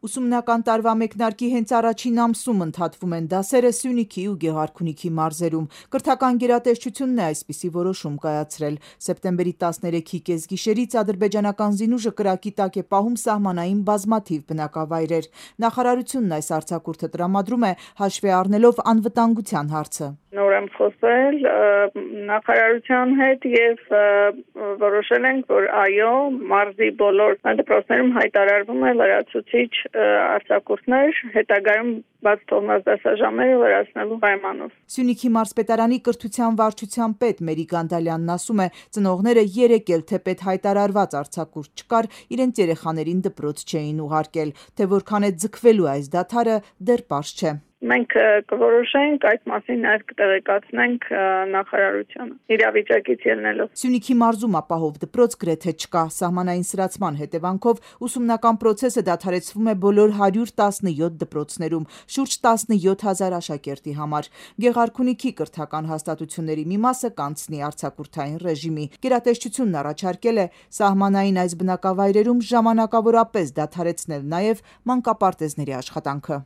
Ուսումնական տարվա մեկնարկի հենց առաջին ամսում ընդհատվում են դասերը Սյունիքի ու Գեղարքունիքի մարզերում։ Կրթական գերատեսչությունն է այսպիսի որոշում կայացրել։ Սեպտեմբերի 13-ի կեսգիշերից ադրբեջանական զինուժը կրակի տակ է պահում սահմանային բազմաթիվ բնակավայրեր։ Նախարարությունն այս արձակուրդը տրամադրում է հաշվի առնելով անվտանգության հարցը։ Նոր եմ խոսել նախարարության հետ եւ որոշել ենք, որ այո, մարզի բոլոր դպրոցներում հայտարարվում է լրացուցիչ արձակուրդներ, հետագայում բաց թողնած դասաժամերը լրացնելու պայմանով։ Սյունիքի մարզպետարանի կրթության վարչության պետ Մերի Գանդալյանն ասում է, ծնողները երեկ էլ թեպետ հայտարարված արձակուրդ չկար, իրենց երեխաներին դպրոց չէին ուղարկել, թե որքան է ձգվելու այս դադարը դեռ պարզ չէ։ Մենք կորոշենք այդ մասին նաև կտեղեկացնենք նախարարությանը իրավիճակից ելնելով։ Սյունիքի մարզում ապահով դպրոց գրեթե չկա։ Սահմանային սրացման հետևանքով ուսումնական պրոցեսը դադարեցվում է բոլոր 117 դպրոցներում, շուրջ 17,000 աշակերտի համար։ Գեղարքունիքի կրթական հաստատությունների մի մասը կանցնի արձակուրդային ռեժիմի։ Գերատեսչությունն առաջարկել է սահմանային այս բնակավայրերում ժամանակավորապես դադարեցնել նաև մանկապարտեզների աշխատանքը։